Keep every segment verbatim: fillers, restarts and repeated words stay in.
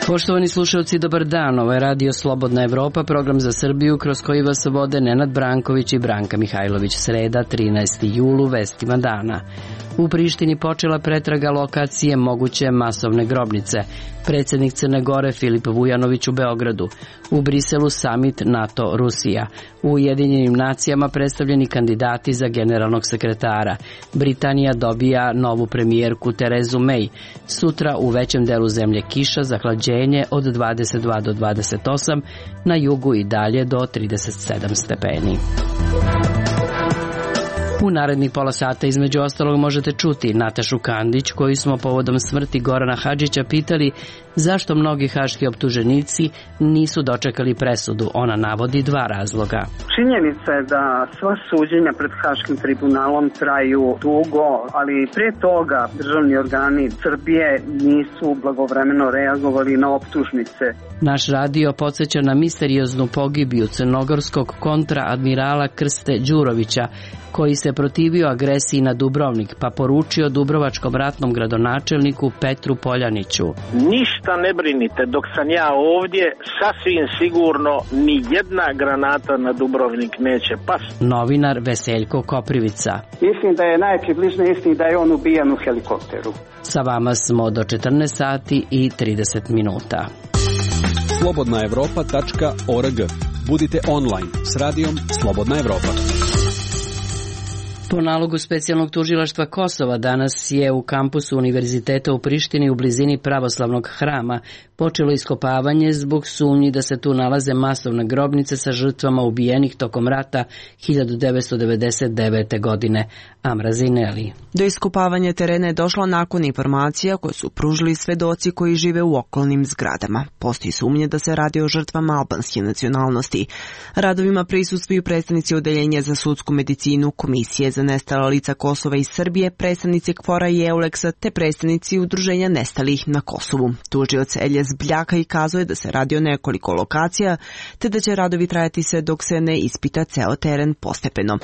Poštovani slušalci, dobar dan. Ovo je Radio Slobodna Evropa, program za Srbiju kroz koji vas vode Nenad Branković i Branka Mihajlović. Sreda, trinaesti jul, vestima dana. U Prištini počela pretraga lokacije moguće masovne grobnice. Predsjednik Crne Gore Filip Vujanović u Beogradu. U Briselu samit NATO-Rusija. U Ujedinjenim nacijama predstavljeni kandidati za generalnog sekretara. Britanija dobija novu premijerku Terezu May. Sutra u većem delu zemlje kiša, zahlađenje od dvadeset dva do dvadeset osam, na jugu i dalje do trideset sedam stepeni. U narednih pola sata između ostalog možete čuti Natašu Kandić, koju smo povodom smrti Gorana Hadžića pitali zašto mnogi haški optuženici nisu dočekali presudu. Ona navodi dva razloga. Činjenica je da sva suđenja pred Haškim tribunalom traju dugo, ali prije toga državni organi Srbije nisu blagovremeno reagovali na optužnice. Naš radio podsjeća na misterioznu pogibiju crnogorskog kontraadmirala Krste Đurovića, koji se protivio agresiji na Dubrovnik, pa poručio dubrovačkom ratnom gradonačelniku Petru Poljaniću: ništa ne brinite, dok sam ja ovdje, sasvim sigurno ni jedna granata na Dubrovnik neće pasti. Novinar Veseljko Koprivica: mislim da je najpribližnije istini da je on ubijan u helikopteru. Sa vama smo do četrnaest sati i trideset minuta. slobodna evropa tačka org. Budite online s radijom Slobodna Evropa. Po nalogu specijalnog tužilaštva Kosova danas je u kampusu Univerziteta u Prištini u blizini pravoslavnog hrama počelo iskopavanje zbog sumnji da se tu nalaze masovne grobnice sa žrtvama ubijenih tokom rata hiljadu devetsto devedeset devete. godine. Amra Zineli. Do iskopavanja terena je došlo nakon informacija koje su pružili svedoci koji žive u okolnim zgradama. Postoji sumnje da se radi o žrtvama albanske nacionalnosti. Radovima prisustvuju predstavnici Odeljenja za sudsku medicinu, Komisije za nestala lica Kosova i Srbije, predstavnici KFOR-a i EULEX-a te predstavnici Udruženja nestalih na Kosovu. Tužilac Eljes Bljaka i kazuje da se radi o nekoliko lokacija, te da će radovi trajati sve dok se ne ispita ceo teren postepeno.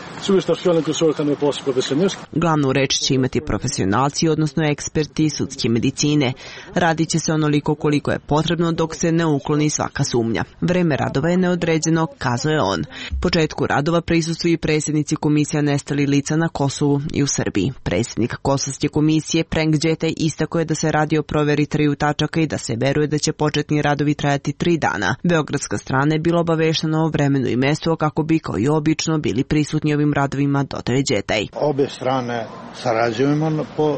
Glavnu reč će imati profesionalci, odnosno eksperti sudske medicine. Radit će se onoliko koliko je potrebno dok se ne ukloni svaka sumnja. Vreme radova je neodređeno, kazuje on. Početku radova prisustvuju i predsjednici Komisija nestali lica na Kosovu i u Srbiji. Predsjednik Kosovske komisije Prenk Đetej istako je da se radi o proveri triju tačaka i da se veruje da će početni radovi trajati tri dana. Beogradska strana je bila obaveštena o vremenu i mestu kako bi kao i obično bili prisutni ovim radovima, dodaje Đetej. Obe strane sarađujemo, po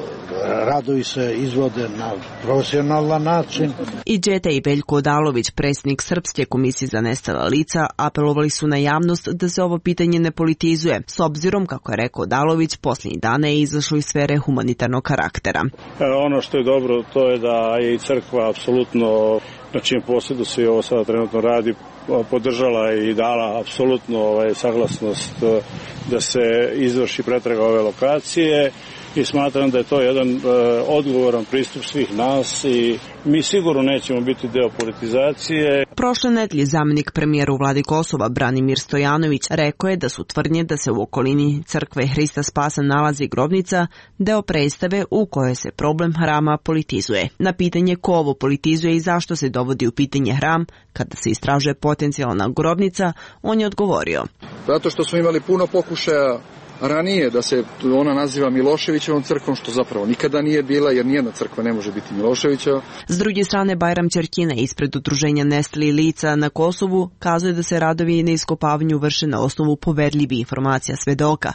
radovi se izvode na profesionalan način. I Đetej i Veljko Odalović, predsjednik Srpske komisije za nestala lica, apelovali su na javnost da se ovo pitanje ne politizuje, s obzirom, kako je rekao Odalović, posljednjih dana je izašlo iz sfere humanitarnog karaktera. Ono što je dobro, to je da je i crkva apsolutno, na čijem posjedu se ovo sada trenutno radi, podržala i dala apsolutno ovaj, saglasnost da se izvrši pretraga ove lokacije i smatram da je to jedan e, odgovoran pristup svih nas i mi sigurno nećemo biti deo politizacije. Prošle nedelje zamjenik premijera u vladi Kosova Branimir Stojanović rekao je da su tvrdnje da se u okolini crkve Hrista Spasa nalazi grobnica deo predstave u kojoj se problem hrama politizuje. Na pitanje ko ovo politizuje i zašto se dovodi u pitanje hram kada se istražuje potencijalna grobnica, on je odgovorio: zato što smo imali puno pokušaja ranije da se ona naziva Miloševićevom crkvom, što zapravo nikada nije bila, jer nijedna crkva ne može biti Miloševićeva. S druge strane, Bajram Ćerkina ispred Udruženja nestalih lica na Kosovu kazuje da se radovi na iskopavanju vrše na osnovu poverljivih informacija svedoka.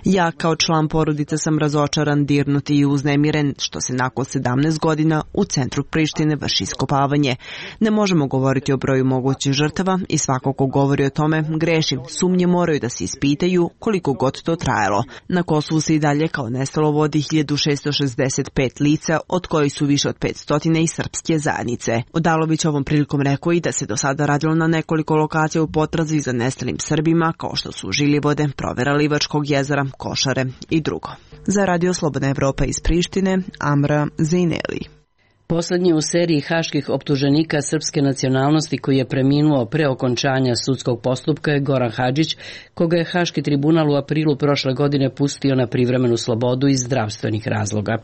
Ja kao član porodice sam razočaran, dirnut i uznemiren što se nakon sedamnaest godina u centru Prištine vrši iskopavanje. Ne možemo govoriti o broju mogućih žrtava i svako ko govori o tome greši. Sumnje moraju da se ispitaju koliko god to trajalo. Na Kosovu se i dalje kao nestalo vodi hiljadu šessto šezdeset pet lica, od kojih su više od petsto i srpske zajednice. Odalović ovom prilikom rekao i da se do sada radilo na nekoliko lokacija u potrazi za nestalim Srbima, kao što su Žiljevode, provera Livačkog jezera, Košare i drugo. Za Radio Slobodna Evropa iz Prištine, Amra Zineli. Poslednji u seriji haških optuženika srpske nacionalnosti koji je preminuo pre okončanja sudskog postupka je Goran Hadžić, koga je Haški tribunal u aprilu prošle godine pustio na privremenu slobodu iz zdravstvenih razloga.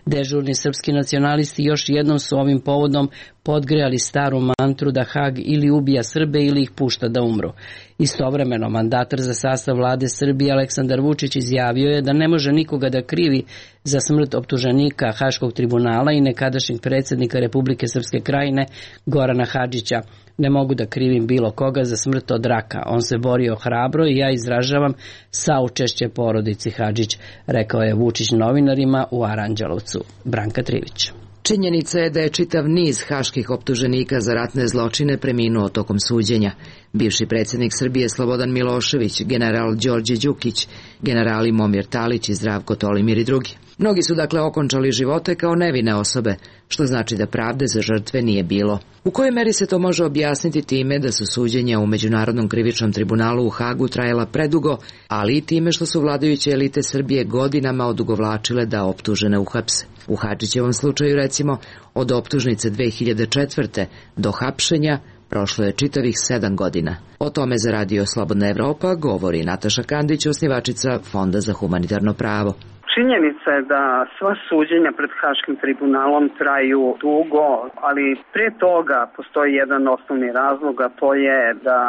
Dežurni srpski nacionalisti još jednom su ovim povodom podgrejali staru mantru da Hag ili ubija Srbe ili ih pušta da umru. Istovremeno, mandatar za sastav vlade Srbije Aleksandar Vučić izjavio je da ne može nikoga da krivi za smrt optuženika Haškog tribunala i nekadašnjeg predsjednika Republike Srpske Krajine Gorana Hadžića. Ne mogu da krivim bilo koga za smrt od raka. On se borio hrabro i ja izražavam saučešće porodici Hadžić, rekao je Vučić novinarima u Aranđelovcu. Branka Trivić. Činjenica je da je čitav niz haških optuženika za ratne zločine preminuo tokom suđenja. Bivši predsjednik Srbije Slobodan Milošević, general Đorđe Đukić, generali Momir Talić i Zdravko Tolimir i drugi. Mnogi su dakle okončali živote kao nevine osobe, što znači da pravde za žrtve nije bilo. U kojoj meri se to može objasniti time da su suđenja u Međunarodnom krivičnom tribunalu u Hagu trajala predugo, ali i time što su vladajuće elite Srbije godinama odugovlačile da optužene uhapse. U Hadžićevom slučaju, recimo, od optužnice dve hiljade četvrte do hapšenja prošlo je čitavih sedam godina. O tome za Radio Slobodna Evropa govori Nataša Kandić, osnivačica Fonda za humanitarno pravo. Činjenica je da sva suđenja pred Haškim tribunalom traju dugo, ali pre toga postoji jedan osnovni razlog, a to je da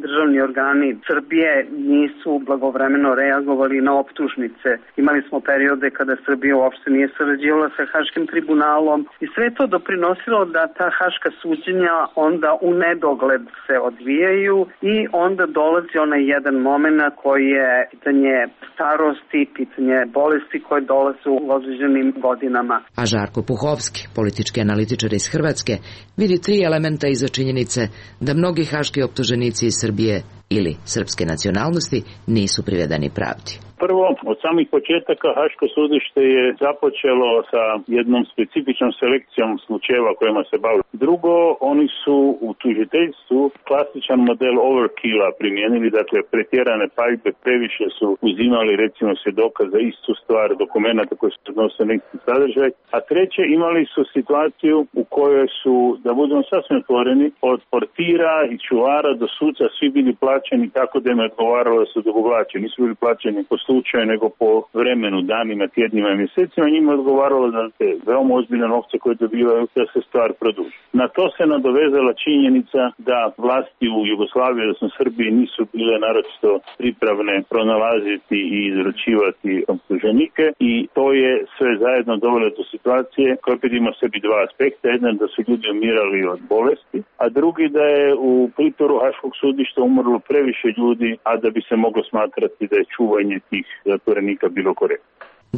državni organi Srbije nisu blagovremeno reagovali na optužnice. Imali smo periode kada Srbija uopšte nije sarađivala sa Haškim tribunalom i sve to doprinosilo da ta haška suđenja onda u nedogled se odvijaju i onda dolazi onaj jedan moment koji je pitanje starosti, pitanje bolesti koje dolaze u određenim godinama. A Žarko Puhovski, politički analitičar iz Hrvatske, vidi tri elementa iza činjenice da mnogi haški optuženici iz Srbije ili srpske nacionalnosti nisu privedeni pravdi. Prvo, od samih početaka Haško sudište je započelo sa jednom specifičnom selekcijom slučajeva kojima se bavili. Drugo, oni su u tužiteljstvu klasičan model overkilla primijenili, dakle pretjerane paljbe, previše su uzimali recimo svjedoka za istu stvar, dokumenta koji su odnose na isti sadržaj. A treće, imali su situaciju u kojoj su, da budemo sasvim otvoreni, od portira i čuvara do suca svi bili plaćeni tako da im je odgovaralo da su odugovlačeni. Nisu bili plaćeni po slučaju, nego po vremenu, danima, tjednima i mjesecima. Njima je odgovaralo da te veoma ozbiljne novce koje dobivaju da se stvar produži. Na to se nadovezala činjenica da vlasti u Jugoslaviji, odnosno Srbiji, nisu bile naročito pripravne pronalaziti i izručivati optuženike i to je sve zajedno dovelo do situacije koja opet ima sebi dva aspekta. Jedan da su ljudi umirali od bolesti, a drugi da je u pritoru Haškog sudišta umrlo previše ljudi, a da bi se moglo smatrati da je čuvanje tih zatvorenika bilo korektno.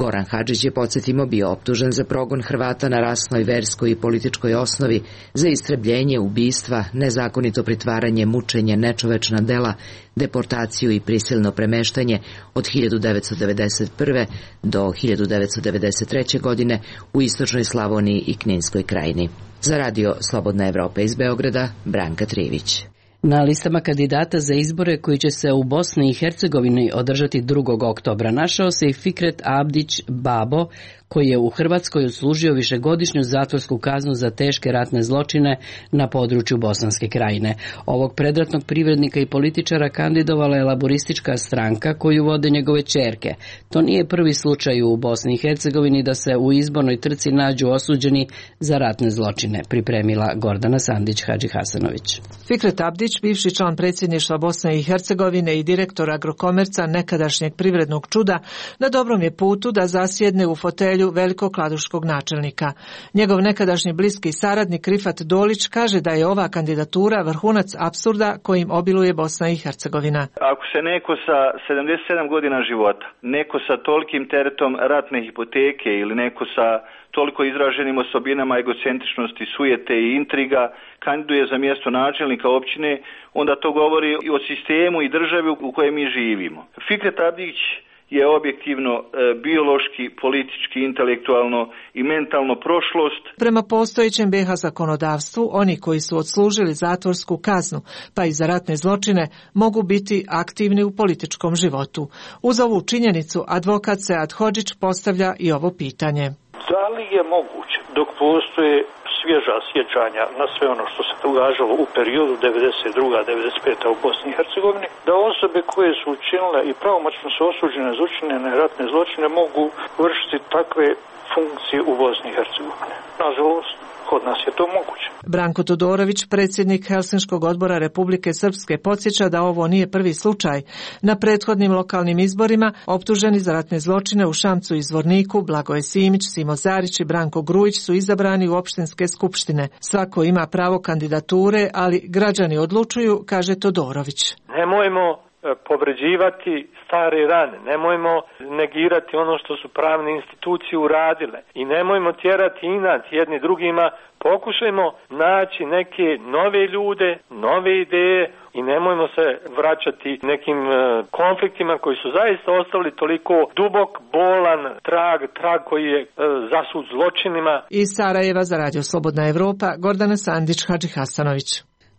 Goran Hadžić je, podsjetimo, bio optužen za progon Hrvata na rasnoj, verskoj i političkoj osnovi, za istrebljenje, ubistva, nezakonito pritvaranje, mučenje, nečovečna dela, deportaciju i prisilno premeštanje od hiljadu devetsto devedeset prve do hiljadu devetsto devedeset treće godine u istočnoj Slavoniji i Kninskoj krajini. Za Radio Slobodna Evropa iz Beograda, Branka Trivić. Na listama kandidata za izbore koji će se u Bosni i Hercegovini održati drugog oktobra našao se i Fikret Abdić Babo, koji je u Hrvatskoj odslužio višegodišnju zatvorsku kaznu za teške ratne zločine na području Bosanske krajine. Ovog predratnog privrednika i političara kandidovala je laboristička stranka koju vode njegove ćerke. To nije prvi slučaj u Bosni i Hercegovini da se u izbornoj trci nađu osuđeni za ratne zločine, pripremila Gordana Sandić-Hadžihasanović. Fikret Abdić, bivši član predsjedništva Bosne i Hercegovine i direktor Agrokomerca, nekadašnjeg privrednog čuda, na dobrom je putu da zasjedne u fotelju velikokladuškog načelnika. Njegov nekadašnji bliski saradnik Rifat Dolić kaže da je ova kandidatura vrhunac apsurda kojim obiluje Bosna i Hercegovina. Ako se neko sa sedamdeset sedam godina života, neko sa tolikim teretom ratne hipoteke ili neko sa toliko izraženim osobinama egocentričnosti, sujete i intriga kandiduje za mjesto načelnika općine, onda to govori i o sistemu i državi u kojoj mi živimo. Fikret Abdić je objektivno e, biološki, politički, intelektualno i mentalno prošlost. Prema postojećem be ha zakonodavstvu, oni koji su odslužili zatvorsku kaznu, pa i za ratne zločine, mogu biti aktivni u političkom životu. Uz ovu činjenicu, advokat Sead Hodžić postavlja i ovo pitanje. Da li je moguće, dok postoje svježa sjećanja na sve ono što se događalo u periodu devedeset druga do devedeset peta u Bosni i Hercegovini, da osobe koje su učinile i pravomoćno su osuđene za učinjene ratne zločine mogu vršiti takve funkcije u Bosni i Hercegovini. Nažalost, kod nas je to moguće. Branko Todorović, predsjednik Helsinškog odbora Republike Srpske, podsjeća da ovo nije prvi slučaj. Na prethodnim lokalnim izborima optuženi za ratne zločine u Šamcu i Zvorniku Blagoje Simić, Simo Zarić i Branko Grujić su izabrani u opštinske skupštine. Svako ima pravo kandidature, ali građani odlučuju, kaže Todorović. Nemojmo povređivati stare rane, nemojmo negirati ono što su pravne institucije uradile i nemojmo tjerati inat jedni drugima, pokušajmo naći neke nove ljude, nove ideje i nemojmo se vraćati nekim konfliktima koji su zaista ostali toliko dubok, bolan trag, trag koji je zasut zločinima. Iz Sarajeva za Radio Slobodna Evropa, Gordana Sandić, Hadži Hasanović.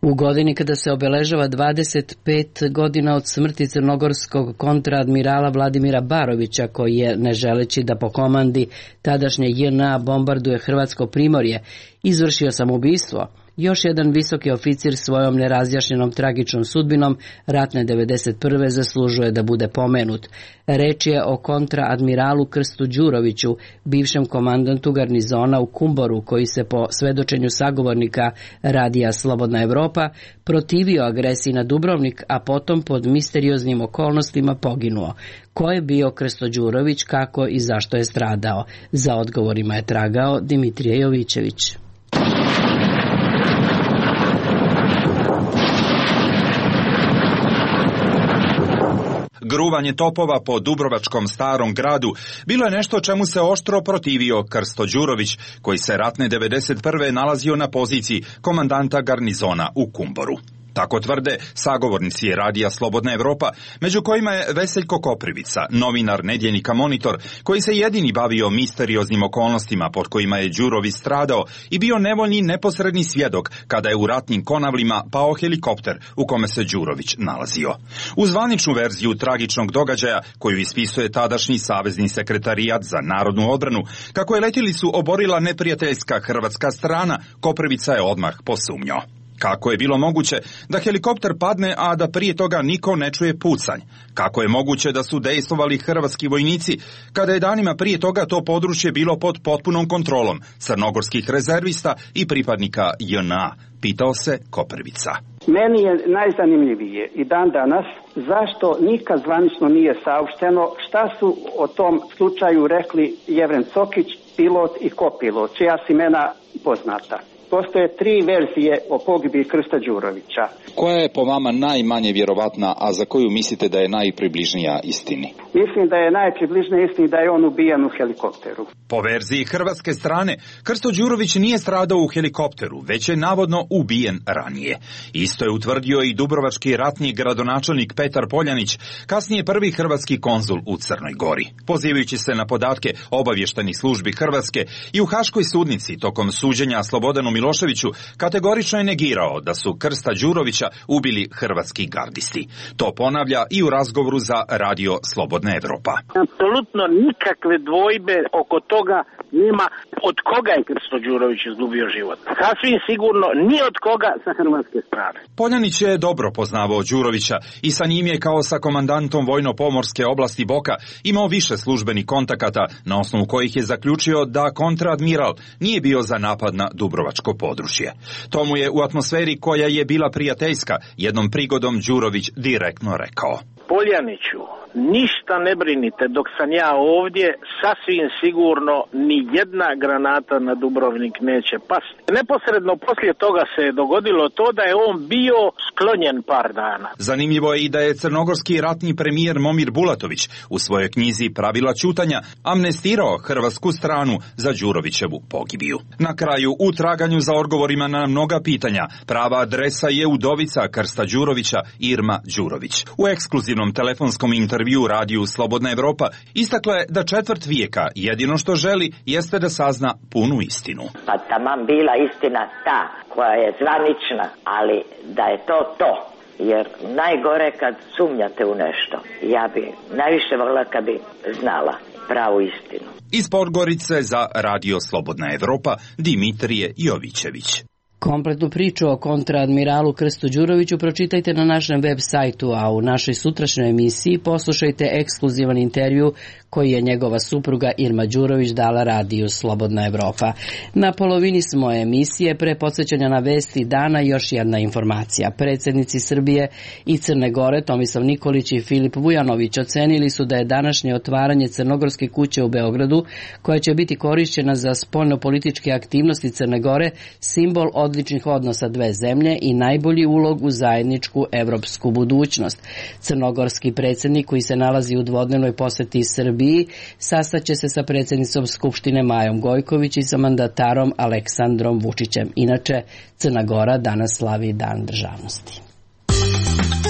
U godini kada se obeležava dvadeset pet godina od smrti crnogorskog kontraadmirala Vladimira Barovića, koji je, ne želeći da po komandi tadašnje J N A bombarduje Hrvatsko primorje, izvršio samoubistvo, još jedan visoki oficir svojom nerazjašnjenom tragičnom sudbinom ratne devedeset prve zaslužuje da bude pomenut. Reč je o kontraadmiralu Krstu Đuroviću, bivšem komandantu garnizona u Kumboru, koji se po svedočenju sagovornika radija Slobodna Evropa protivio agresiji na Dubrovnik, a potom pod misterioznim okolnostima poginuo. Ko je bio Krsto Đurović, kako i zašto je stradao? Za odgovorima je tragao Dimitrije Jovićević. Gruvanje topova po Dubrovačkom Starom gradu bilo je nešto čemu se oštro protivio Krsto Đurović, koji se ratne devedeset prve nalazio na poziciji komandanta garnizona u Kumboru. Tako tvrde sagovornici radija Slobodna Evropa, među kojima je Veseljko Koprivica, novinar nedjeljnika Monitor, koji se jedini bavio misterioznim okolnostima pod kojima je Đurović stradao i bio nevoljni neposredni svjedok kada je u ratnim konavlima pao helikopter u kome se Đurović nalazio. U zvaničnu verziju tragičnog događaja, koju ispisuje tadašnji savezni sekretarijat za narodnu odbranu, kako je letjelicu oborila neprijateljska hrvatska strana, Koprivica je odmah posumnjao. Kako je bilo moguće da helikopter padne, a da prije toga niko ne čuje pucanj? Kako je moguće da su dejstvovali hrvatski vojnici kada je danima prije toga to područje bilo pod potpunom kontrolom crnogorskih rezervista i pripadnika J N A? Pitao se Koprivica. Meni je najzanimljivije i dan danas zašto nikad zvanično nije saopšteno šta su o tom slučaju rekli Jevren Cokić, pilot i kopilot, čija su imena poznata. Postoje tri verzije o pogibiji Krsta Đurovića. Koja je po vama najmanje vjerovatna, a za koju mislite da je najpribližnija istini? Mislim da je najpribližnija istini da je on ubijen u helikopteru. Po verziji hrvatske strane, Krsto Đurović nije stradao u helikopteru, već je navodno ubijen ranije. Isto je utvrdio i dubrovački ratni gradonačelnik Petar Poljanić, kasnije prvi hrvatski konzul u Crnoj Gori. Pozivajući se na podatke obavještajnih službi Hrvatske, i u Haškoj sudnici tokom suđenja Slobodanu Miloševiću kategorično je negirao da su Krsta Đurovića ubili hrvatski gardisti. To ponavlja i u razgovoru za Radio Slobodna Evropa. Apsolutno nikakve dvojbe oko toga nema od koga je Krsto Đurović izgubio život. Sasvim sigurno ni od koga sa hrvatske strane. Poljanić je dobro poznavao Đurovića i sa njim je kao sa komandantom vojno-pomorske oblasti Boka imao više službenih kontakata, na osnovu kojih je zaključio da kontraadmiral nije bio za napad na Dubrovačko područje. To mu je u atmosferi koja je bila prijateljska jednom prigodom Đurović direktno rekao. Poljaniću, ništa ne brinite, dok sam ja ovdje, sasvim sigurno ni jedna granata na Dubrovnik neće pasti. Neposredno poslije toga se je dogodilo to da je on bio sklonjen par dana. Zanimljivo je i da je crnogorski ratni premijer Momir Bulatović u svojoj knjizi Pravila ćutanja amnestirao hrvatsku stranu za Đurovićevu pogibiju. Na kraju, u traganju za odgovorima na mnoga pitanja, prava adresa je udovica Krsta Đurovića, Irma Đurović. U ekskluzivnom telefonskom intervju radiju Slobodna Evropa istakla je da četvrt vijeka jedino što želi jeste da sazna punu istinu. Pa taman bila istina ta koja je zvanična, ali da je to to. Jer najgore kad sumnjate u nešto. Ja bi najviše volila kad bi znala pravu istinu. Iz Podgorice za Radio Slobodna Evropa Dimitrije Jovićević. Kompletnu priču o kontraadmiralu Krstu Đuroviću pročitajte na našem web sajtu, a u našoj sutrašnjoj emisiji poslušajte ekskluzivan intervju koji je njegova supruga Irma Đurović dala radiju Slobodna Evropa. Na polovini smo emisije, pre podsjećanja na vesti dana, još jedna informacija. Predsjednici Srbije i Crne Gore, Tomislav Nikolić i Filip Vujanović, ocenili su da je današnje otvaranje Crnogorske kuće u Beogradu, koja će biti korišćena za spoljnopolitičke aktivnosti Crne Gore, simbol odličnih odnosa dve zemlje i najbolji ulog u zajedničku evropsku budućnost. Crnogorski predsjednik, koji se nalazi u dvodnevnoj poseti Srbiji, sastaće se sa predsjednicom Skupštine Majom Gojković i sa mandatarom Aleksandrom Vučićem. Inače, Crna Gora danas slavi Dan državnosti.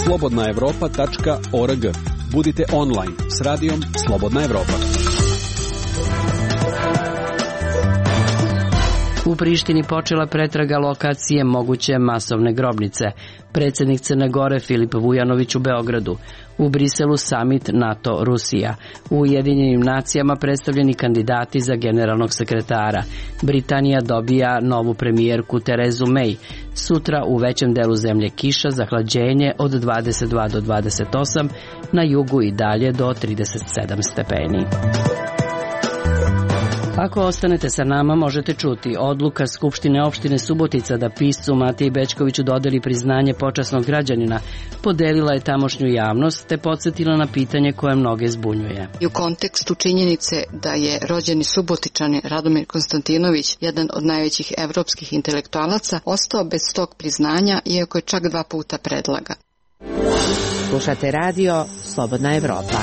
slobodna evropa tačka org. Budite online s radijom Slobodna Evropa. U Prištini počela pretraga lokacije moguće masovne grobnice. Predsjednik Crne Gore Filip Vujanović u Beogradu. U Briselu samit NATO-Rusija. U Ujedinjenim nacijama predstavljeni kandidati za generalnog sekretara. Britanija dobija novu premijerku Terezu May. Sutra u većem delu zemlje kiša, zahlađenje od dvadeset dva do dvadeset osam, na jugu i dalje do trideset sedam stepeni. Ako ostanete sa nama, možete čuti odluka Skupštine opštine Subotica da piscu Matiji Bećkoviću dodeli priznanje počasnog građanina. Podelila je tamošnju javnost te podsjetila na pitanje koje mnoge zbunjuje. I u kontekstu činjenice da je rođeni Subotičanin Radomir Konstantinović, jedan od najvećih evropskih intelektualaca, ostao bez tog priznanja, iako je čak dva puta predlagan. Slušate radio Slobodna Evropa.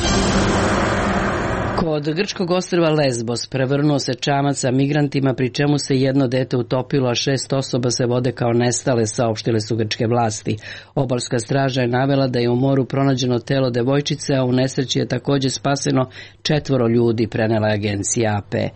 Kod grčkog ostrva Lesbos prevrnuo se čamac sa migrantima, pri čemu se jedno dete utopilo, a šest osoba se vode kao nestale, saopštile su grčke vlasti. Obalska straža je navela da je u moru pronađeno telo devojčice, a u nesreći je također spaseno četvoro ljudi, prenela je agencija A P.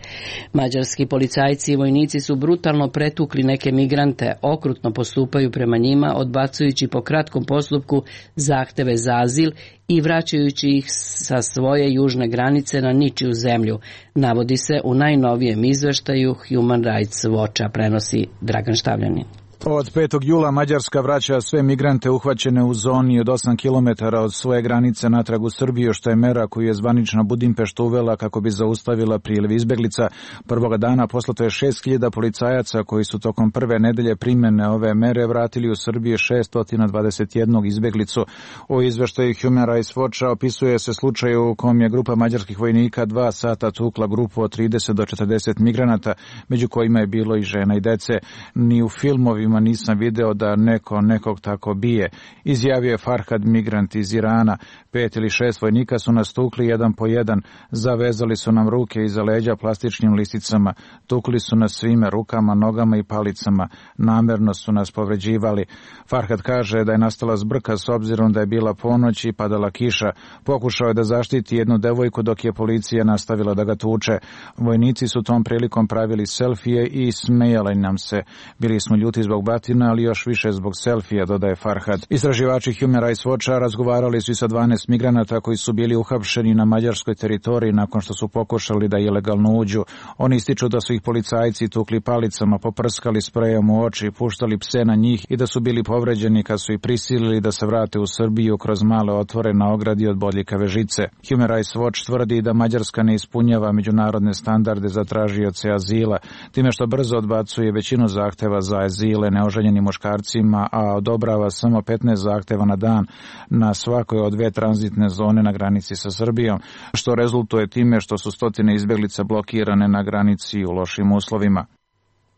Mađarski policajci i vojnici su brutalno pretukli neke migrante, okrutno postupaju prema njima, odbacujući po kratkom postupku zahteve za azil i vraćajući ih sa svoje južne granice na ničiju zemlju, navodi se u najnovijem izveštaju Human Rights Watcha, prenosi Dragan Štavljanin. Od petog jula Mađarska vraća sve migrante uhvaćene u zoni od osam kilometara od svoje granice natrag u Srbiju, što je mera koju je zvanična Budimpešta uvela kako bi zaustavila priliv izbeglica. Prvoga dana poslato je šest hiljada policajaca koji su tokom prve nedelje primjene ove mere vratili u Srbiju šesto dvadeset jednu izbeglicu. U izveštaju Human Rights Watcha opisuje se slučaj u kom je grupa mađarskih vojnika dva sata tukla grupu od trideset do četrdeset migranata, među kojima je bilo i žena i dece. Ni u filmovima nisam video da neko nekog tako bije, izjavio je Farhad, migrant iz Irana. Pet ili šest vojnika su nas tukli jedan po jedan, zavezali su nam ruke iza leđa plastičnim lisicama, tukli su nas svime, rukama, nogama i palicama, namerno su nas povređivali. Farhad kaže da je nastala zbrka s obzirom da je bila ponoć i padala kiša. Pokušao je da zaštiti jednu devojku dok je policija nastavila da ga tuče. Vojnici su tom prilikom pravili selfije i smejali nam se. Bili smo ljuti zbog batina, ali još više zbog selfija, dodaje Farhad. Istraživači Human Rights Watcha razgovarali su i sa dvanaest migranata koji su bili uhapšeni na mađarskoj teritoriji nakon što su pokušali da ilegalno uđu. Oni ističu da su ih policajci tukli palicama, poprskali sprejom u oči, puštali pse na njih i da su bili povređeni kad su ih prisilili da se vrate u Srbiju kroz male otvore na ogradi od bodljikave žice. Human Rights Watch tvrdi da Mađarska ne ispunjava međunarodne standarde za tražioce azila, time što brzo odbacuje većinu zahteva za azile neoženjenim muškarcima, a odobrava samo petnaest zahteva na dan na svakoj od dve tranzitne zone na granici sa Srbijom, što rezultuje time što su stotine izbeglica blokirane na granici u lošim uslovima.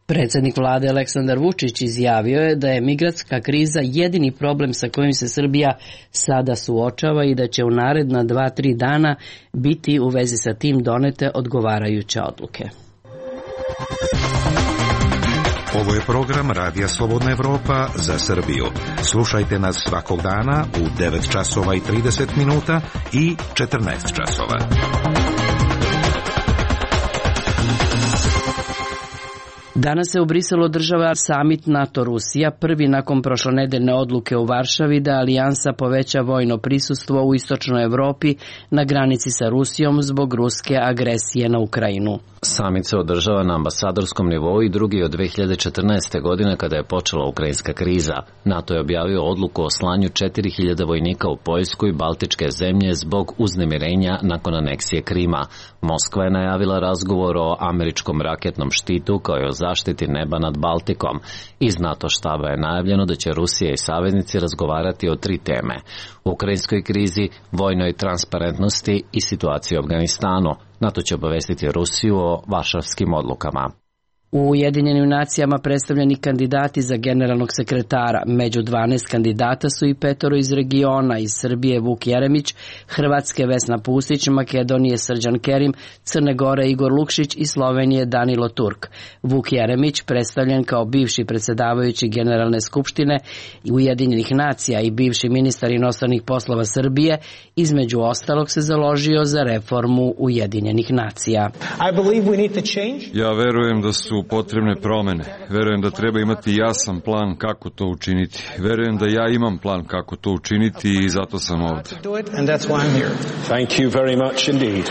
Predsjednik vlade Aleksandar Vučić izjavio je da je migrantska kriza jedini problem sa kojim se Srbija sada suočava i da će u naredna dva, tri dana biti u vezi sa tim donete odgovarajuće odluke. Ovo je program Radija Slobodna Evropa za Srbiju. Slušajte nas svakog dana u devet časova i trideset minuta i četrnaest časova. Danas se u Briselu održava samit NATO-Rusija, prvi nakon prošlonedeljne odluke u Varšavi da alijansa poveća vojno prisustvo u istočnoj Evropi na granici sa Rusijom zbog ruske agresije na Ukrajinu. Samit se održava na ambasadorskom nivou i drugi od dve hiljade četrnaeste. godine kada je počela ukrajinska kriza. NATO je objavio odluku o slanju četiri hiljade vojnika u Poljsku i Baltičke zemlje zbog uznemirenja nakon aneksije Krima. Moskva je najavila razgovor o američkom raketnom štitu kao i o zaštiti neba nad Baltikom. Iz NATO štaba je najavljeno da će Rusija i saveznici razgovarati o tri teme: ukrajinskoj krizi, vojnoj transparentnosti i situaciji u Afganistanu. NATO će obavestiti Rusiju o varšavskim odlukama. U Ujedinjenim nacijama predstavljeni kandidati za generalnog sekretara. Među dvanaest kandidata su i petoro iz regiona, iz Srbije Vuk Jeremić, Hrvatske Vesna Pusić, Makedonije Srđan Kerim, Crne Gore Igor Lukšić i Slovenije Danilo Turk. Vuk Jeremić, predstavljen kao bivši predsjedavajući Generalne skupštine Ujedinjenih nacija i bivši ministar inostranih poslova Srbije, između ostalog se založio za reformu Ujedinjenih nacija. Ja verujem da su potrebne promene. Verujem da treba imati jasan plan kako to učiniti. Verujem da ja imam plan kako to učiniti i zato sam ovde. Thank you very much indeed.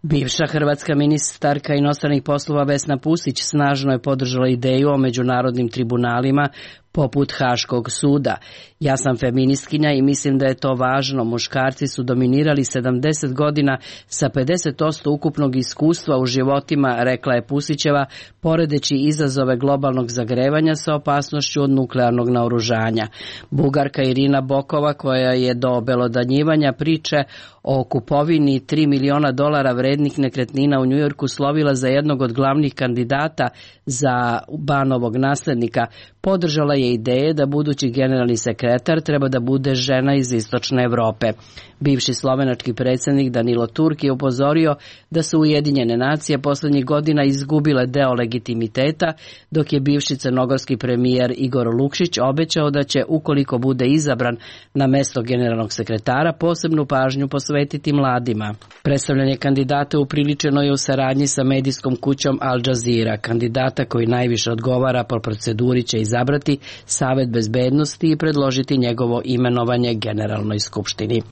Bivša hrvatska ministarka inostranih poslova Vesna Pusić snažno je podržala ideju o međunarodnim tribunalima poput Haškog suda. Ja sam feministkinja i mislim da je to važno. Muškarci su dominirali sedamdeset godina sa pedeset posto ukupnog iskustva u životima, rekla je Pusićeva, poredeći izazove globalnog zagrevanja sa opasnošću od nuklearnog naoružanja. Bugarka Irina Bokova, koja je do obelodanjivanja priče o kupovini tri miliona dolara vrednih nekretnina u Njujorku slovila za jednog od glavnih kandidata za Banovog naslednika, podržala je ideje da budući generalni sekretar treba da bude žena iz istočne Evrope. Bivši slovenački predsjednik Danilo Turk je upozorio da su Ujedinjene nacije poslednjih godina izgubile deo legitimiteta, dok je bivši crnogorski premijer Igor Lukšić obećao da će, ukoliko bude izabran na mesto generalnog sekretara, posebnu pažnju posvetiti mladima. Predstavljanje kandidata upriličeno je u saradnji sa medijskom kućom Al Jazeera. Kandidata koji najviše odgovara po proceduri će izabrati Savet bezbednosti i predložiti njegovo imenovanje Generalnoj skupštini.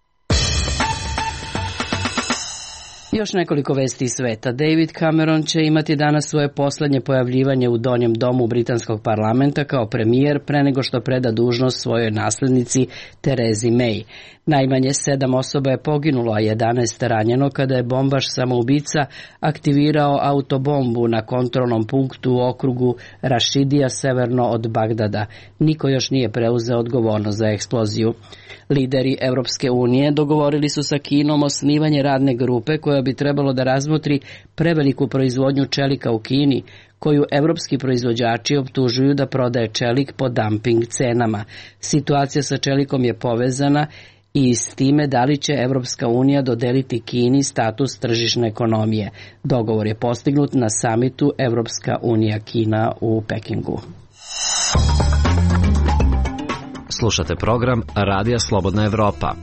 Još nekoliko vesti iz sveta. David Cameron će imati danas svoje poslednje pojavljivanje u donjem domu britanskog parlamenta kao premijer pre nego što preda dužnost svojoj naslednici Terezi May. Najmanje sedam osoba je poginulo, a jedanaest ranjeno kada je bombaš samoubica aktivirao autobombu na kontrolnom punktu u okrugu Rašidija severno od Bagdada. Niko još nije preuzeo odgovornost za eksploziju. Lideri Evropske unije dogovorili su sa Kinom osnivanje radne grupe koja bi trebalo da razmotri preveliku proizvodnju čelika u Kini, koju evropski proizvođači optužuju da prodaje čelik po dumping cenama. Situacija sa čelikom je povezana i s time da li će Evropska unija dodeliti Kini status tržišne ekonomije. Dogovor je postignut na samitu Evropska unija Kina u Pekingu. Slušate program Radija Slobodna Evropa.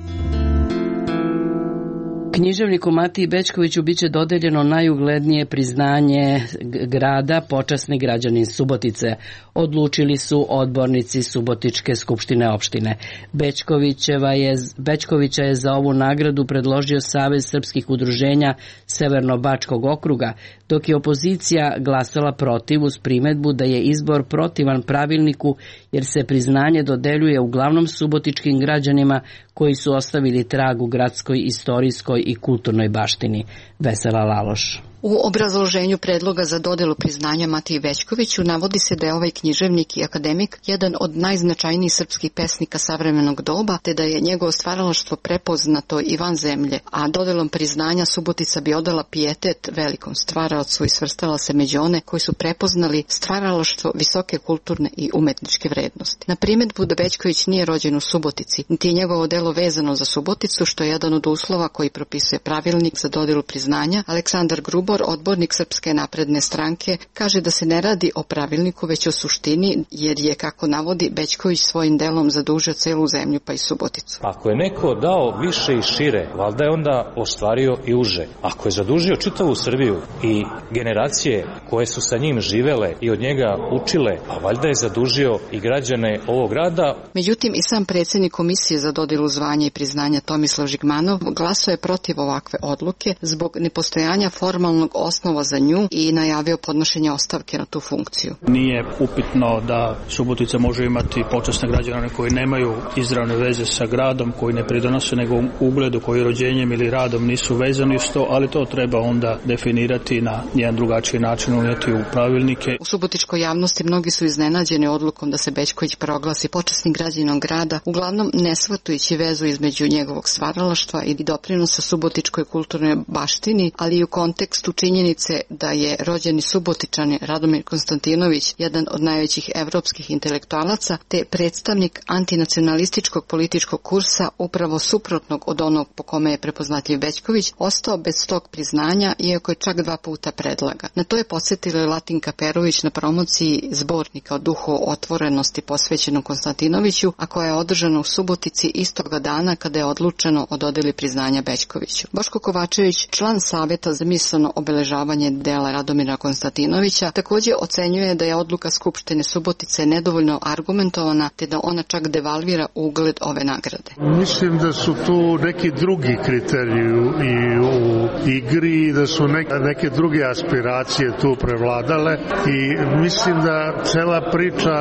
Književniku Matiji Bećkoviću biće dodeljeno najuglednije priznanje grada, počasni građanin Subotice. Odlučili su odbornici Subotičke skupštine opštine. Bećkovićeva je, Bećkovića je za ovu nagradu predložio Savez srpskih udruženja Severno-Bačkog okruga, dok je opozicija glasala protiv uz primedbu da je izbor protivan pravilniku jer se priznanje dodeljuje uglavnom subotičkim građanima koji su ostavili trag u gradskoj, istorijskoj i kulturnoj baštini. Vesela Laloš. U obrazloženju predloga za dodelu priznanja Matiji Bećkoviću navodi se da je ovaj književnik i akademik jedan od najznačajnijih srpskih pesnika savremenog doba, te da je njegovo stvaralaštvo prepoznato i van zemlje, a dodelom priznanja Subotica bi odala pijetet velikom stvaraocu i svrstala se među one koji su prepoznali stvaralaštvo visoke kulturne i umetničke vrednosti. Na primedbu da Bećković nije rođen u Subotici, niti je njegovo delo vezano za Suboticu, što je jedan od uslova koji propisuje pravilnik za dodelu priznanja, Aleksandar Grubo Tibor, odbornik Srpske napredne stranke, kaže da se ne radi o pravilniku već o suštini, jer je, kako navodi, Bećković svojim delom zadužio celu zemlju pa i Suboticu. Ako je neko dao više i šire, valjda je onda ostvario i uže. Ako je zadužio čitavu Srbiju i generacije koje su sa njim živele i od njega učile, a valjda je zadužio i građane ovog grada. Međutim, i sam predsjednik Komisije za dodelu zvanja i priznanja Tomislav Žigmanov glasao je protiv ovakve odluke zbog nepostojanja formalnog osnova za nju i najavio podnošenje ostavke na tu funkciju. Nije upitno da Subotica može imati počasne građane koji nemaju izravne veze sa gradom, koji ne pridonose nego ugledu, koji rođenjem ili radom nisu vezani s to, ali to treba onda definirati na jedan drugačiji način, unijeti u pravilnike. U subotičkoj javnosti mnogi su iznenađeni odlukom da se Bećković proglasi počasnim građaninom grada, uglavnom ne shvatajući vezu između njegovog stvaralaštva i doprinosa subotičkoj kulturnoj baštini, ali i u kontekstu činjenice da je rođeni Subotičani Radomir Konstantinović jedan od najvećih evropskih intelektualaca, te predstavnik antinacionalističkog političkog kursa upravo suprotnog od onog po kome je prepoznatljiv Bećković, ostao bez tog priznanja, iako je čak dva puta predlaga. Na to je podsjetila Latinka Perović na promociji zbornika o duhu otvorenosti posvećenom Konstantinoviću, a koja je održana u Subotici istoga dana kada je odlučeno o dodeli priznanja Bećkoviću. Boško Kovačević, član Saveta za misleno obeležavanje dela Radomira Konstantinovića, također ocenjuje da je odluka Skupštine Subotice nedovoljno argumentovana, te da ona čak devalvira ugled ove nagrade. Mislim da su tu neki drugi kriteriji i u igri, da su neke, neke druge aspiracije tu prevladale i mislim da cela priča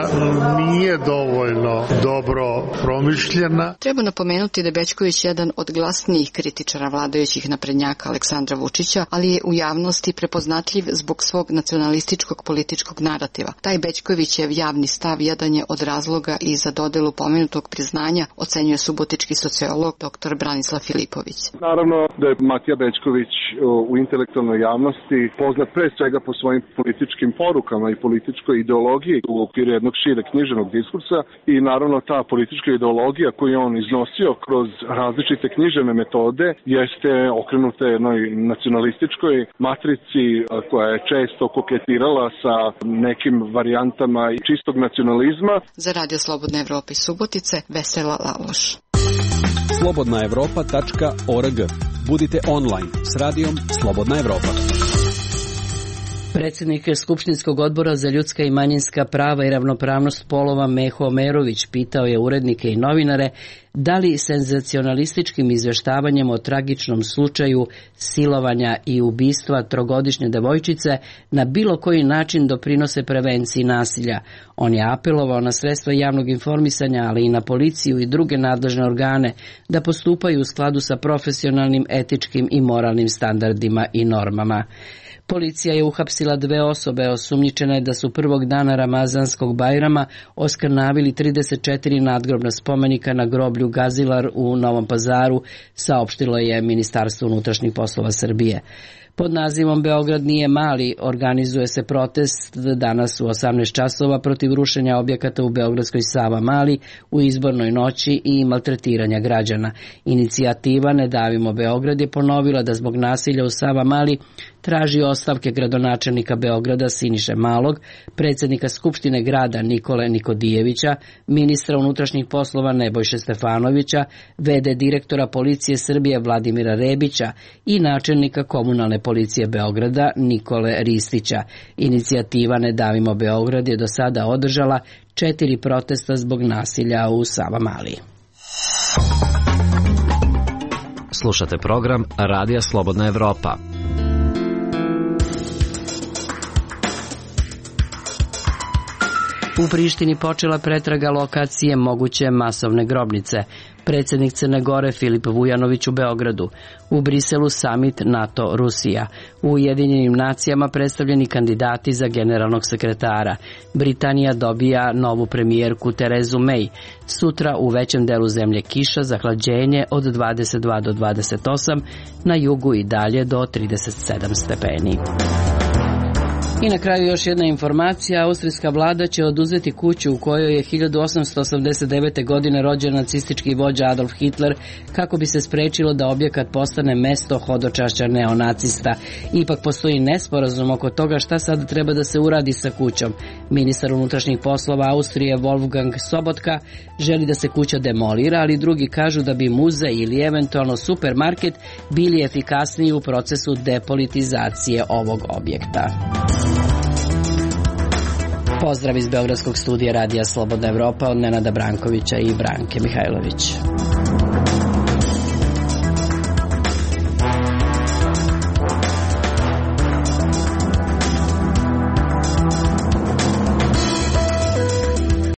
nije dovoljno dobro promišljena. Treba napomenuti da je Bećković jedan od glasnijih kritičara vladajućih naprednjaka Aleksandra Vučića, ali je u javnosti prepoznatljiv zbog svog nacionalističkog političkog narativa. Taj Bećkovićev javni stav jedan je od razloga i za dodelu pomenutog priznanja, ocenjuje subotički sociolog dr. Branislav Filipović. Naravno da je Matija Bećković u intelektualnoj javnosti poznat pre svega po svojim političkim porukama i političkoj ideologiji u okviru jednog šireg književnog diskursa i naravno ta politička ideologija koju on iznosio kroz različite književne metode jeste okrenuta jednoj nacionalističkoj matrici koja je često koketirala sa nekim varijantama čistog nacionalizma. Za Radio Slobodna Evropa iz Subotice, Vesela Laloš. slobodna evropa tačka org. Budite online s radijom Slobodna Evropa. Predsjednik Skupštinskog odbora za ljudska i manjinska prava i ravnopravnost polova Meho Omerović pitao je urednike i novinare da li senzacionalističkim izvještavanjem o tragičnom slučaju silovanja i ubistva trogodišnje devojčice na bilo koji način doprinose prevenciji nasilja. On je apelovao na sredstva javnog informisanja, ali i na policiju i druge nadležne organe da postupaju u skladu sa profesionalnim, etičkim i moralnim standardima i normama. Policija je uhapsila dve osobe osumnjičene da su prvog dana Ramazanskog Bajrama oskrnavili trideset četiri nadgrobna spomenika na groblju Gazilar u Novom Pazaru, saopštilo je Ministarstvo unutrašnjih poslova Srbije. Pod nazivom Beograd nije mali organizuje se protest danas u osamnaest časova protiv rušenja objekata u beogradskoj Savamali u izbornoj noći i maltretiranja građana. Inicijativa Ne davimo Beograd je ponovila da zbog nasilja u Savamali traži ostavke gradonačelnika Beograda Siniše Malog, predsjednika Skupštine grada Nikole Nikodijevića, ministra unutrašnjih poslova Nebojše Stefanovića, ve de direktora Policije Srbije Vladimira Rebića i načelnika komunalne policije Beograda Nikole Ristića. Inicijativa Ne davimo Beograd je do sada održala četiri protesta zbog nasilja u Savamali. Slušate program Radija Slobodna Evropa. U Prištini počela pretraga lokacije moguće masovne grobnice. Predsjednik Crne Gore Filip Vujanović u Beogradu. U Briselu samit NATO-Rusija. U Ujedinjenim nacijama predstavljeni kandidati za generalnog sekretara. Britanija dobija novu premijerku Terezu May. Sutra u većem delu zemlje kiša, zahlađenje od dvadeset dva do dvadeset osam, na jugu i dalje do trideset sedam stepeni. I na kraju još jedna informacija. Austrijska vlada će oduzeti kuću u kojoj je hiljadu osamsto osamdeset devete. godine rođen nacistički vođa Adolf Hitler kako bi se sprečilo da objekat postane mesto hodočašća neonacista. Ipak postoji nesporazum oko toga šta sad treba da se uradi sa kućom. Ministar unutrašnjih poslova Austrije Wolfgang Sobotka želi da se kuća demolira, ali drugi kažu da bi muzej ili eventualno supermarket bili efikasniji u procesu depolitizacije ovog objekta. Pozdrav iz Beogradskog studija Radija Slobodna Evropa od Nenada Brankovića i Branke Mihajlović.